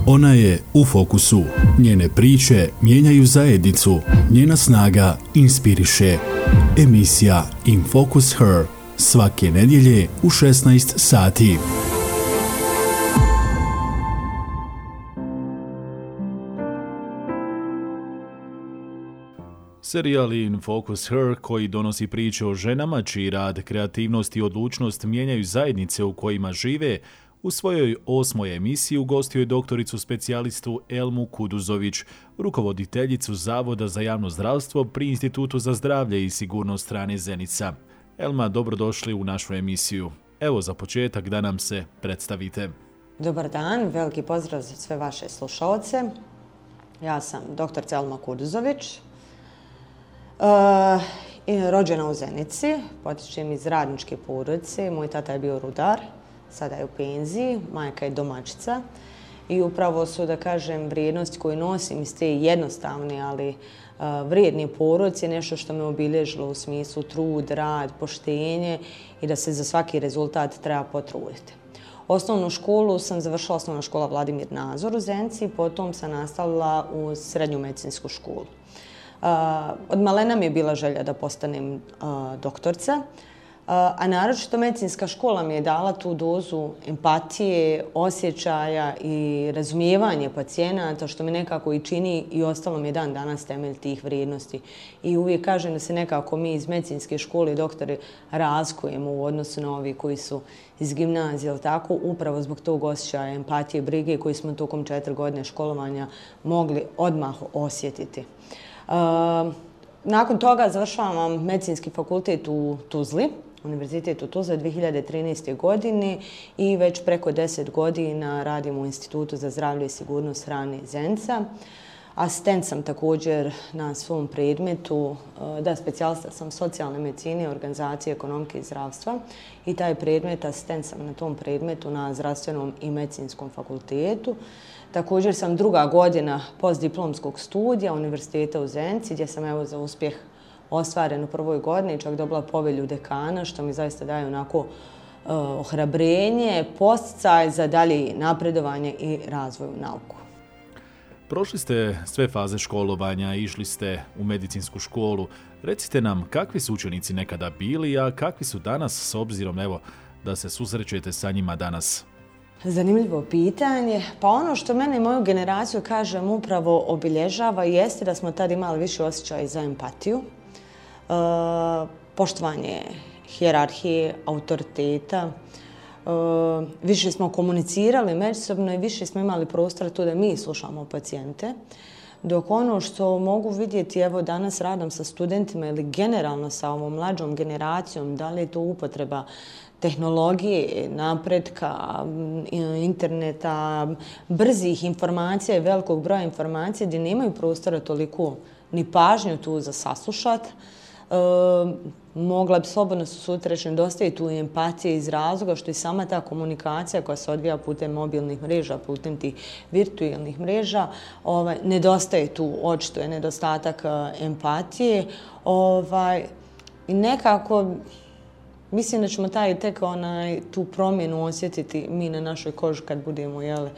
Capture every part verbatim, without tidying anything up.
Ona je u fokusu. Njene priče mijenjaju zajednicu. Njena snaga inspiriše. Emisija In Focus Her. Svake nedjelje u šesnaest sati. Serijal In Focus Her, koji donosi priče o ženama čiji rad, kreativnost i odlučnost mijenjaju zajednice u kojima žive, u svojoj osmoj emisiji ugostio je doktoricu specijalistu Elmu Kuduzović, rukovoditeljicu Zavoda za javno zdravstvo pri Institutu za zdravlje i sigurnost hrane Zenica. Elma, dobrodošli u našu emisiju. Evo za početak da nam se predstavite. Dobar dan, veliki pozdrav za sve vaše slušalce. Ja sam doktorica Elma Kuduzović, e, rođena u Zenici, potičem iz radničke porodice. Moj tata je bio rudar, sada je u penziji, majka je domaćica i upravo su, da kažem, vrijednosti koje nosim iz te jednostavne, ali uh, vrijedne porodice, nešto što me obilježilo u smislu trud, rad, poštenje i da se za svaki rezultat treba potruditi. Osnovnu školu sam završila osnovna škola Vladimir Nazor u Zenici, potom sam nastavila u srednju medicinsku školu. Uh, od malena mi je bila želja da postanem uh, doktorca, a naročito medicinska škola mi je dala tu dozu empatije, osjećaja i razumijevanje pacijenata, što me nekako i čini i ostalo mi je dan danas temelj tih vrijednosti. I uvijek kažem da se nekako mi iz medicinske škole doktori razlikujemo u odnosu na ovi koji su iz gimnazije, ali tako, upravo zbog tog osjećaja empatije, brige koji smo tokom četiri godine školovanja mogli odmah osjetiti. Uh, nakon toga završavam medicinski fakultet u Tuzli, Univerzitet u Tuzli dvije hiljade trinaeste. godine i već preko deset godina radim u Institutu za zdravlje i sigurnost hrane Zenica. Asistent sam također na svom predmetu, da, specijalista sam socijalne medicine, organizacije, ekonomike i zdravstva i taj predmet, asistent sam na tom predmetu na zdravstvenom i medicinskom fakultetu. Također sam druga godina postdiplomskog studija Univerziteta u Zenici, gdje sam evo za uspjeh ostvaren u prvoj godini, čak dobila povelju dekana, što mi zaista daje onako uh, ohrabrenje, podsticaj za dalje napredovanje i razvoj u nauku. Prošli ste sve faze školovanja, išli ste u medicinsku školu. Recite nam, kakvi su učenici nekada bili, a kakvi su danas, s obzirom evo, da se susrećete sa njima danas? Zanimljivo pitanje. Pa ono što mene i moju generaciju, kažem, upravo obilježava jeste da smo tad imali više osjećaja za empatiju, e, poštovanje hijerarhije, autoriteta, e, više smo komunicirali međusobno i više smo imali prostora tu da mi slušamo pacijente. Dok ono što mogu vidjeti, evo danas radom sa studentima ili generalno sa ovom mlađom generacijom, da li je to upotreba tehnologije, napretka, interneta, brzih informacija i velikog broja informacija gdje nemaju prostora toliko ni pažnju tu za saslušat. E, mogla bi slobodno sutra reći nedostaje tu empatije iz razloga što i sama ta komunikacija koja se odvija putem mobilnih mreža, putem tih virtualnih mreža, ovaj, nedostaje tu, očito je nedostatak empatije. Ovaj, i nekako mislim da ćemo taj, tek onaj, tu promjenu osjetiti mi na našoj koži kad budemo, jel,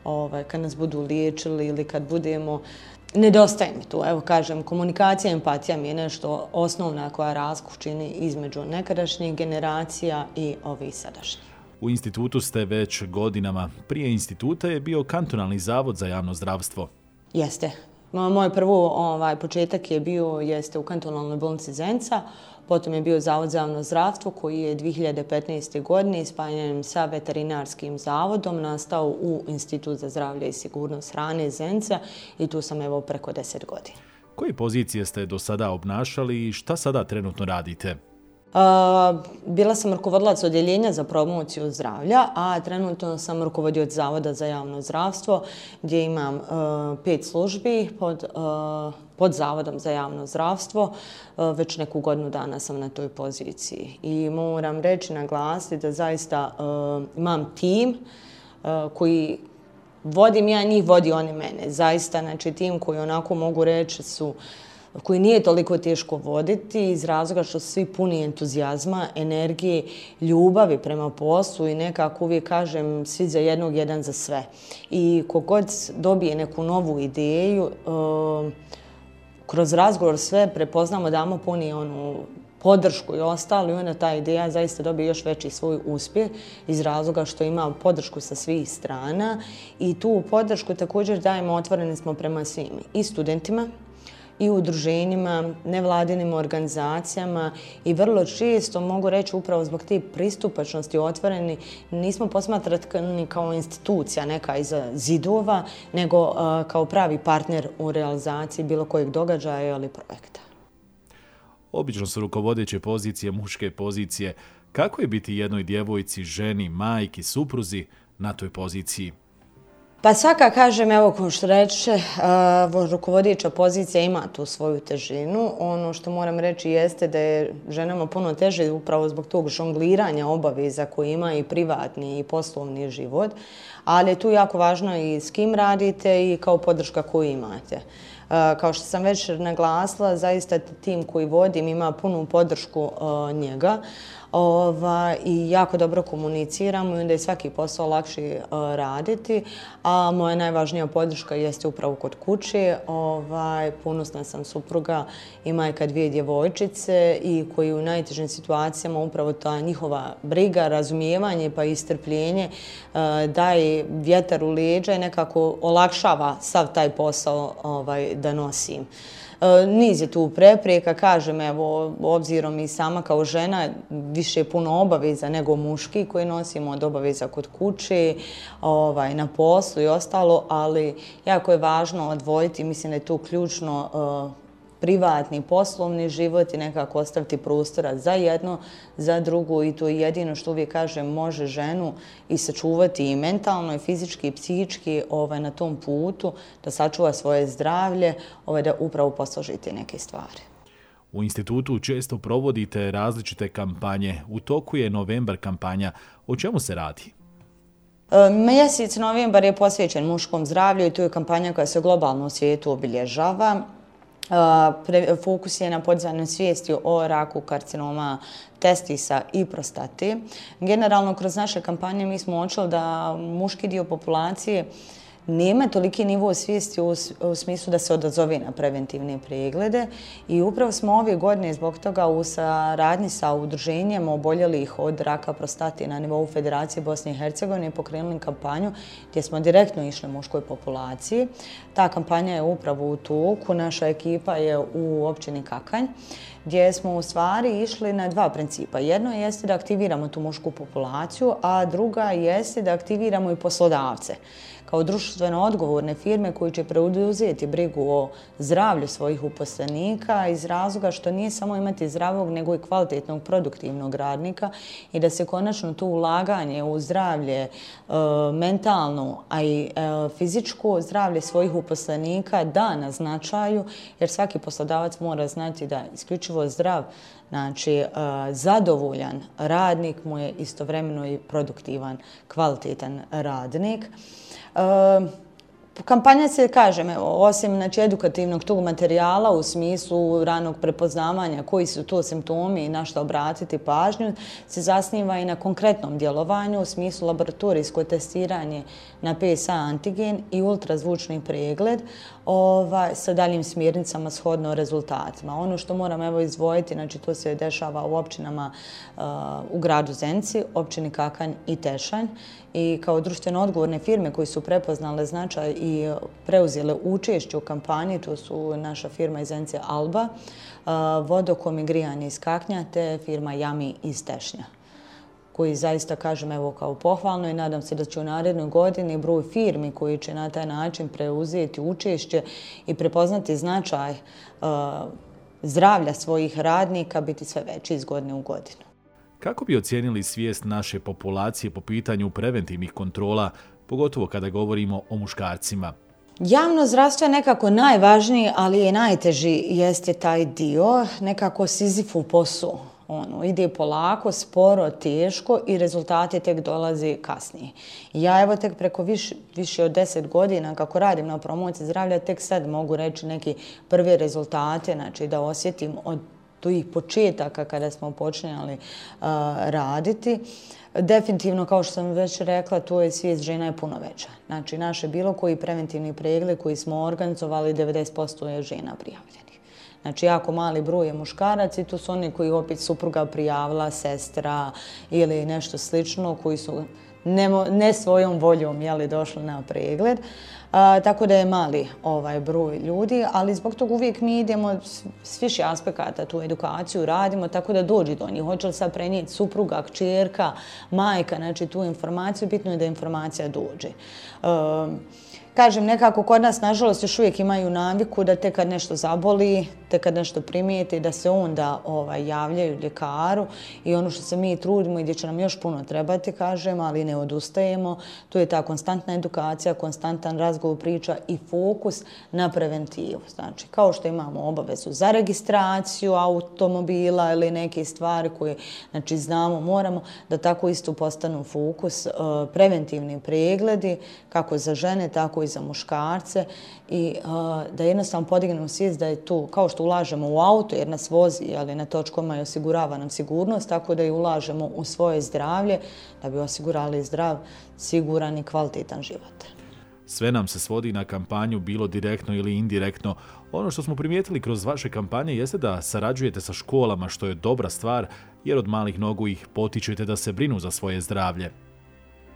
ovaj, kad nas budu liječili ili kad budemo. Nedostaje mi tu, evo kažem, komunikacija i empatija mi je nešto osnovna koja razliku čini između nekadašnjih generacija i ovih sadašnjih. U institutu ste već godinama. Prije instituta je bio kantonalni zavod za javno zdravstvo. Jeste. Moj prvo ovaj, početak je bio jeste u kantonalnoj bolnici Zenica, potom je bio Zavod za javno zdravstvo koji je dvije hiljade petnaeste. godine spajanjem sa veterinarskim zavodom nastao u Institut za zdravlje i sigurnost hrane Zenica i tu sam evo preko deset godina. Koje pozicije ste do sada obnašali i šta sada trenutno radite? Uh, bila sam rukovodilac odjeljenja za promociju zdravlja, a trenutno sam rukovodioc Zavoda za javno zdravstvo gdje imam uh, pet službi pod, uh, pod Zavodom za javno zdravstvo. Uh, već neku godinu dana sam na toj poziciji i moram reći, naglasiti da zaista uh, imam tim uh, koji vodim ja njih, vodi oni mene. Zaista, znači tim koji onako mogu reći su koji nije toliko teško voditi iz razloga što su svi puni entuzijazma, energije, ljubavi prema poslu i nekako uvijek kažem svi za jednog, jedan za sve. I kogod dobije neku novu ideju, kroz razgovor sve prepoznamo, damo puni onu podršku i ostalo i onda ta ideja zaista dobije još veći svoj uspjeh iz razloga što ima podršku sa svih strana i tu podršku također dajemo, otvoreni smo prema svim i studentima i udruženjima, nevladinim organizacijama i vrlo često mogu reći upravo zbog te pristupačnosti otvoreni nismo posmatrani kao institucija neka iza zidova, nego kao pravi partner u realizaciji bilo kojeg događaja ili projekta. Obično su rukovodeće pozicije muške pozicije. Kako je biti jednoj djevojci, ženi, majki, supruzi na toj poziciji? Pa svaka, kažem, evo kao što reče, rukovodeća pozicija ima tu svoju težinu. Ono što moram reći jeste da je ženama puno teže upravo zbog tog žongliranja obaveza koje ima i privatni i poslovni život, ali je tu jako važno i s kim radite i kao podrška koju imate. Kao što sam već naglasila, zaista tim koji vodim ima punu podršku njega i jako dobro komuniciramo i onda je svaki posao lakše raditi, a moja najvažnija podrška jeste upravo kod kuće. Ponosna sam supruga i majka dvije djevojčice i koji u najtežim situacijama upravo ta njihova briga, razumijevanje pa i strpljenje daje vjetar u leđa i nekako olakšava sav taj posao da nosim. Niz je tu prepreka, kažem, evo, obzirom i sama kao žena više puno obaveza nego muški koji nosimo od obaveza kod kuće, na poslu i ostalo, ali jako je važno odvojiti, mislim da je tu ključno privatni, poslovni život i nekako ostaviti prostora za jedno, za drugo i to je jedino što uvijek kažem može ženu i sačuvati i mentalno i fizički i psihički na tom putu, da sačuva svoje zdravlje, da upravo posložite neke stvari. U institutu često provodite različite kampanje. U toku je novembar kampanja. O čemu se radi? Mjesec novembar je posvećen muškom zdravlju i to je kampanja koja se globalno u svijetu obilježava. Fokus je na podizanju svijesti o raku, karcinoma, testisa i prostate. Generalno, kroz naše kampanje mi smo uočili da muški dio populacije nema toliki nivo svijesti u smislu da se odazove na preventivne preglede i upravo smo ove godine zbog toga u saradnji sa udruženjem oboljelih od raka prostate na nivou Federacije Bosne i Hercegovine pokrenuli kampanju gdje smo direktno išli muškoj populaciji. Ta kampanja je upravo u toku, naša ekipa je u općini Kakanj, gdje smo u stvari išli na dva principa. Jedno jeste da aktiviramo tu mušku populaciju, a druga jeste da aktiviramo i poslodavce kao društveno odgovorne firme koji će preuzeti brigu o zdravlju svojih uposlenika iz razloga što nije samo imati zdravog nego i kvalitetnog produktivnog radnika i da se konačno to ulaganje u zdravlje mentalno, a i fizičko zdravlje svojih uposlenika da na značaju, jer svaki poslodavac mora znati da isključivo zdrav, znači zadovoljan radnik mu je istovremeno i produktivan, kvalitetan radnik. Kampanja se, kažem, osim znači, edukativnog tog materijala u smislu ranog prepoznavanja koji su to simptomi i na što obratiti pažnju, se zasniva i na konkretnom djelovanju u smislu laboratorijsko testiranje na P S A antigen i ultrazvučni pregled ovaj, sa daljim smjernicama shodno rezultatima. Ono što moram evo izdvojiti, znači to se dešava u općinama uh, u gradu Zenci, općini Kakanj i Tešanj i kao društveno odgovorne firme koji su prepoznale značaj i preuzele učešće u kampanji, to su naša firma iz Zence Alba, Vodokom i grijanje iz Kaknja te firma Jami iz Tešnja, koji zaista kažem evo kao pohvalno i nadam se da će u narednoj godini broj firmi koji će na taj način preuzeti učešće i prepoznati značaj zdravlja svojih radnika biti sve veći iz godine u godinu. Kako bi ocijenili svijest naše populacije po pitanju preventivnih kontrola, pogotovo kada govorimo o muškarcima? Javno zdravstvo je nekako najvažniji, ali i najteži jeste taj dio, nekako Sizifov posao. Ono, ide polako, sporo, teško i rezultati tek dolaze kasnije. Ja evo tek preko više, više od deset godina kako radim na promociji zdravlja, tek sad mogu reći neke prve rezultate, znači da osjetim od tih početaka kada smo počinjali uh, raditi. Definitivno, kao što sam već rekla, to je svijest žena je puno veća. Znači, naše bilo koji preventivni pregled koji smo organizovali, devedeset posto je žena prijavljenih. Znači, jako mali broj je muškarac i tu su oni koji opet supruga prijavila, sestra ili nešto slično, koji su ne, ne svojom voljom jeli, došli na pregled. A, tako da je mali ovaj broj ljudi, ali zbog toga uvijek mi idemo s više aspekata tu edukaciju radimo, tako da dođe do njih. Hoće li sad prenijeti supruga, kćerka, majka, znači tu informaciju, bitno je da informacija dođe. Um, Kažem, nekako kod nas, nažalost, još uvijek imaju naviku da tek kad nešto zaboli, tek kad nešto primijete, da se onda ovaj, javljaju ljekaru i ono što se mi trudimo i gdje će nam još puno trebati, kažem, ali ne odustajemo, to je ta konstantna edukacija, konstantan razgovor, priča i fokus na preventivu. Znači, kao što imamo obavezu za registraciju automobila ili neke stvari koje znači, znamo, moramo, da tako isto postanu fokus uh, preventivni pregledi, kako za žene, tako i za muškarce i uh, da jednostavno podignemo svijest da je to, kao što ulažemo u auto jer nas vozi, ali na točkama i osigurava nam sigurnost, tako da i ulažemo u svoje zdravlje da bi osigurali zdrav, siguran i kvalitetan život. Sve nam se svodi na kampanju, bilo direktno ili indirektno. Ono što smo primijetili kroz vaše kampanje jeste da sarađujete sa školama, što je dobra stvar, jer od malih nogu ih potičete da se brinu za svoje zdravlje.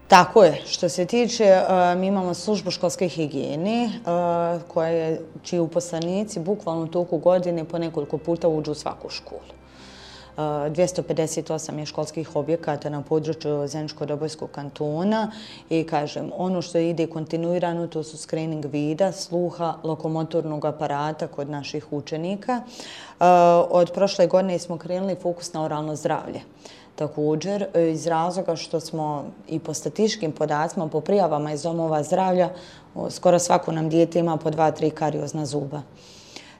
Tako je. Što se tiče, mi imamo službu školske higijene, koja je, čiji uposlenici bukvalno u toku godine po nekoliko puta uđu u svaku školu. dvjesto pedeset osam je školskih objekata na području Zeničko-Dobojskog kantona i kažem, ono što ide kontinuirano to su screening vida, sluha, lokomotornog aparata kod naših učenika. Od prošle godine smo krenuli fokus na oralno zdravlje. Također, iz razloga što smo i po statističkim podacima, po prijavama iz domova zdravlja, skoro svako nam dijete ima po dva, tri kariozna zuba.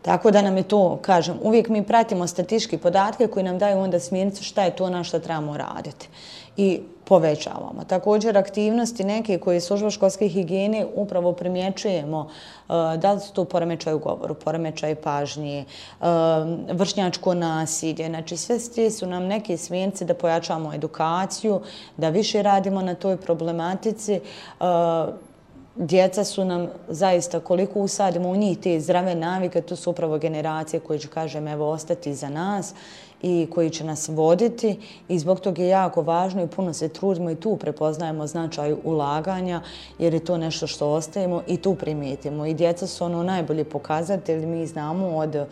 Tako da nam je to, kažem, uvijek mi pratimo statističke podatke koji nam daju onda smjernicu šta je to na što trebamo raditi i povećavamo. Također, aktivnosti neke koje služba školske higijene upravo primjećujemo da li su to poremećaj u govoru, poremećaj pažnje, vršnjačko nasilje. Znači, sve te su nam neke smjernice da pojačamo edukaciju, da više radimo na toj problematici. Djeca su nam zaista, koliko usadimo u njih te zdrave navike, to su upravo generacije koje će, kažem, evo, ostati za nas i koji će nas voditi i zbog toga je jako važno i puno se trudimo i tu prepoznajemo značaj ulaganja jer je to nešto što ostajemo i tu primijetimo. I djeca su ono najbolji pokazatelj, mi znamo od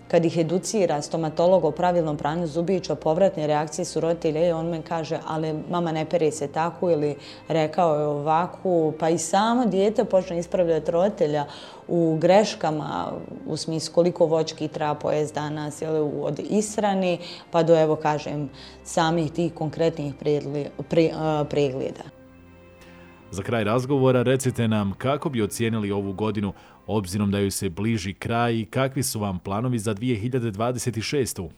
kad ih educira stomatolog o pravilnom pranju zubića, povratne reakcije su roditelja i on me kaže, ali mama ne pere se tako ili rekao je ovako, pa i samo dijete počne ispravljati roditelja u greškama, u smislu koliko voćki treba pojesti danas, ili od ishrane, pa do, evo kažem, samih tih konkretnih pregleda. Za kraj razgovora recite nam kako bi ocijenili ovu godinu, obzirom da joj se bliži kraj i kakvi su vam planovi za dvije hiljade dvadeset šestu.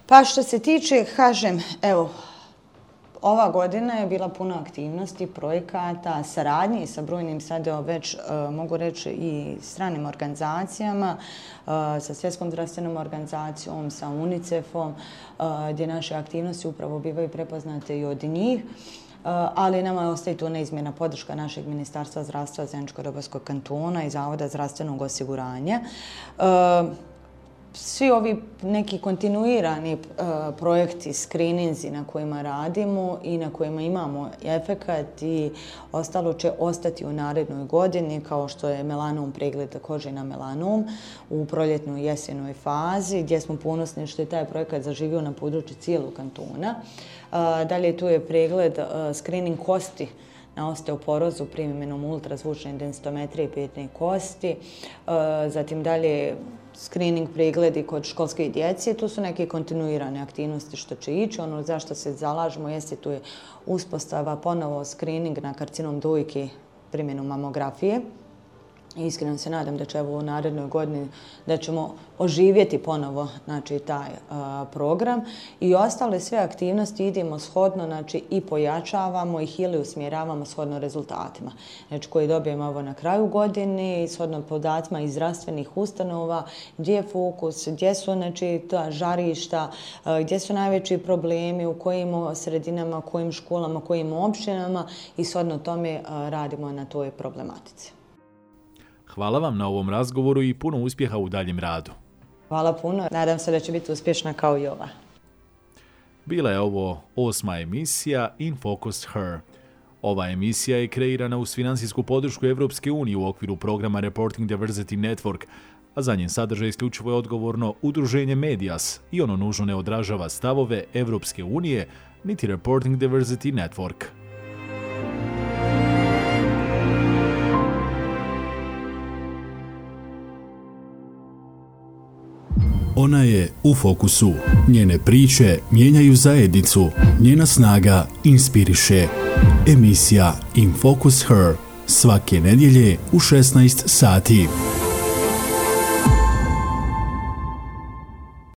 Pa što se tiče, kažem, evo, ova godina je bila puna aktivnosti, projekata, saradnji sa brojnim sada već, uh, mogu reći, i stranim organizacijama, uh, sa Svjetskom zdravstvenom organizacijom, sa UNICEF-om, uh, gdje naše aktivnosti upravo bivaju prepoznate i od njih. Ali nama ostaje tu neizmjerna podrška našeg Ministarstva zdravstva Zeničko-Dobojskog kantona i Zavoda zdravstvenog osiguranja. Svi ovi neki kontinuirani projekti, skrininzi na kojima radimo i na kojima imamo efekat i ostalo će ostati u narednoj godini, kao što je melanom, pregled kože na melanom u proljetnoj i jesenoj fazi, gdje smo ponosni što je taj projekat zaživio na području cijelog kantona. Dalje tu je pregled screening kosti na osteoporozu primjenom ultrazvučne densitometrije petne kosti. Zatim dalje screening pregledi kod školske djece. Tu su neke kontinuirane aktivnosti što će ići. Ono zašto se zalažemo jeste tu je uspostava ponovo screening na karcinom dojke primjenom mamografije. Iskreno se nadam da će evo u narednoj godini da ćemo oživjeti ponovo znači, taj a, program i ostale sve aktivnosti idemo shodno znači, i pojačavamo ih ili usmjeravamo shodno rezultatima. Znači koji dobijemo ovo na kraju godine i shodno podacima iz zdravstvenih ustanova, gdje je fokus, gdje su znači, ta žarišta, a, gdje su najveći problemi, u kojim sredinama, kojim školama, kojim općinama i shodno tome a, radimo na toj problematici. Hvala vam na ovom razgovoru i puno uspjeha u daljem radu. Hvala puno. Nadam se da će biti uspješna kao i ova. Bila je ovo osma emisija In Focus Her. Ova emisija je kreirana uz financijsku podršku Evropske unije u okviru programa Reporting Diversity Network, a za njen sadržaj isključivo je odgovorno udruženje Medias i ono nužno ne odražava stavove Evropske unije niti Reporting Diversity Network. Ona je u fokusu. Njene priče mijenjaju zajednicu. Njena snaga inspiriše. Emisija In Focus Her svake nedjelje u šesnaest sati.